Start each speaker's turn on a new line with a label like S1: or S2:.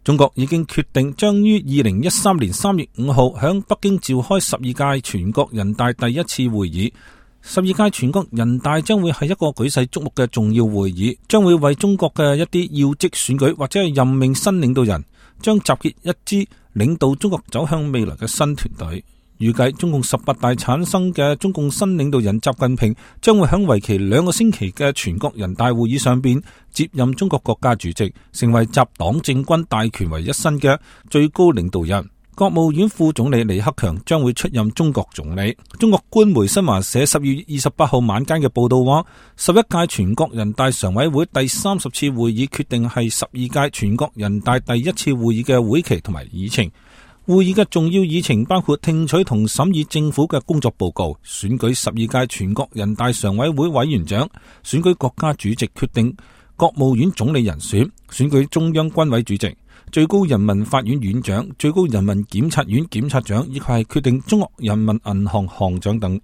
S1: 中國已經決定將於2013年3月5號響北京召開12屆全國人大第一次會議。12屆全國人大將會係一個舉世矚目嘅重要會議，將會為中國嘅一啲要職選舉或者係任命新領導人，將集結一支領導中國走向未來嘅新團隊。預計中共18大產生嘅中共新領導人習近平將會喺為期2個星期嘅全國人大會議上邊接任中國國家主席，成為集黨政軍大權為一身嘅最高領導人。國務院副總理李克強將會出任中國總理。中國官媒新華社12月28號晚間嘅報道話，11屆全國人大常委會第30次會議決定係12屆全國人大第一次會議嘅會期同埋議程。會議嘅重要議程包括聽取同審議政府嘅工作報告、選舉12屆全國人大常委會委員長、選舉國家主席、決定國務院總理人選、選舉中央軍委主席、最高人民法院院長、最高人民檢察院檢察長，以及係決定中國人民銀行行長等。